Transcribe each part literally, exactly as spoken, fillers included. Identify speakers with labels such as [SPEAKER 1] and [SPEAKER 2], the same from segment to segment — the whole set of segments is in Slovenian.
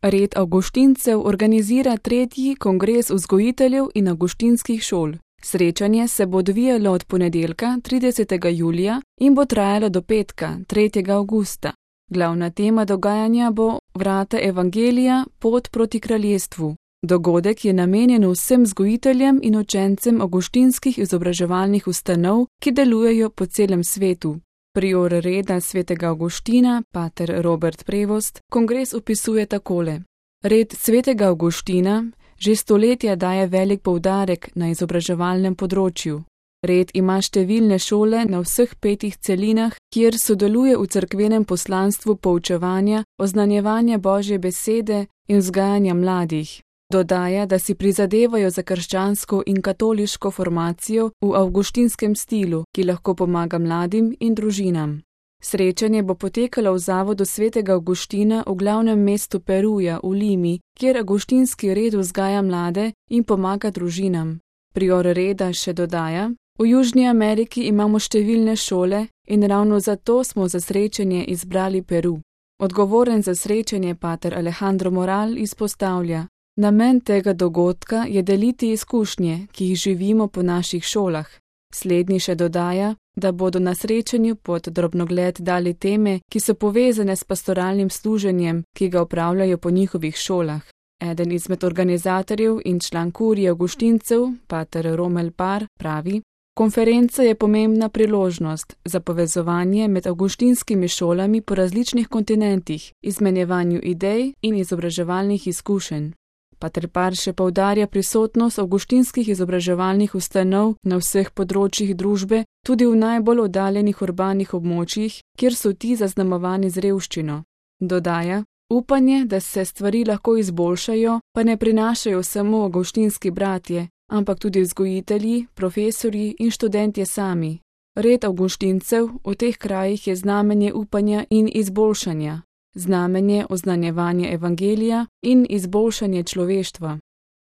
[SPEAKER 1] Red avguštincev organizira tretji kongres vzgojiteljev in avguštinskih šol. Srečanje se bo odvijalo od ponedeljka, tridesetega julija, in bo trajalo do petka, tretjega avgusta. Glavna tema dogajanja bo Vrata evangelija, pot proti kraljestvu. Dogodek je namenjen vsem vzgojiteljem in učencem avguštinskih izobraževalnih ustanov, ki delujejo po celem svetu. Prior reda svetega Avguština, pater Robert Prevost, kongres opisuje takole. Red svetega Avguština že stoletja daje velik poudarek na izobraževalnem področju. Red ima številne šole na vseh petih celinah, kjer sodeluje v cerkvenem poslanstvu poučevanja, oznanjevanja Božje besede in vzgajanja mladih. Dodaja, da si prizadevajo za krščansko in katoliško formacijo v avguštinskem stilu, ki lahko pomaga mladim in družinam. Srečanje bo potekalo v zavodu svetega Avguština v glavnem mestu Peruja v Limi, kjer avguštinski red vzgaja mlade in pomaga družinam. Prior reda še dodaja: v Južni Ameriki imamo številne šole in ravno zato smo za srečanje izbrali Peru. Odgovoren za srečanje pater Alejandro Moral izpostavlja: namen tega dogodka je deliti izkušnje, ki jih živimo po naših šolah. Slednji še dodaja, da bodo na srečanju pod drobnogled dali teme, ki so povezane s pastoralnim služenjem, ki ga opravljajo po njihovih šolah. Eden izmed organizatorjev in član kurije avguštincev, pater Romel Par, pravi: konferenca je pomembna priložnost za povezovanje med avguštinskimi šolami po različnih kontinentih, izmenjevanju idej in izobraževalnih izkušenj. Pater Par še poudarja prisotnost avguštinskih izobraževalnih ustanov na vseh področjih družbe, tudi v najbolj oddaljenih urbanih območjih, kjer so ti zaznamovani z revščino. Dodaja: upanje, da se stvari lahko izboljšajo, pa ne prinašajo samo avguštinski bratje, ampak tudi vzgojitelji, profesorji in študentje sami. Red avguštincev v teh krajih je znamenje upanja in izboljšanja. Znamenje oznanjevanja evangelija in izboljšanje človeštva.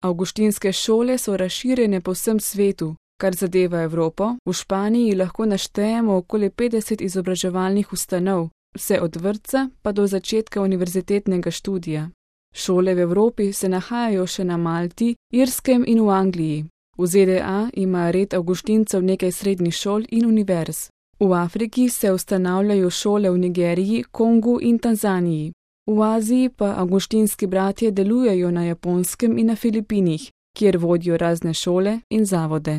[SPEAKER 1] Avguštinske šole so razširjene po vsem svetu, kar zadeva Evropo. V Španiji lahko naštejemo okoli petdeset izobraževalnih ustanov, vse od vrtca pa do začetka univerzitetnega študija. Šole v Evropi se nahajajo še na Malti, Irskem in v Angliji. V Z D A ima red avguštincev nekaj srednjih šol in univerz. V Afriki se ustanavljajo šole v Nigeriji, Kongu in Tanzaniji. V Aziji pa avguštinski bratje delujejo na Japonskem in na Filipinih, kjer vodijo razne šole in zavode.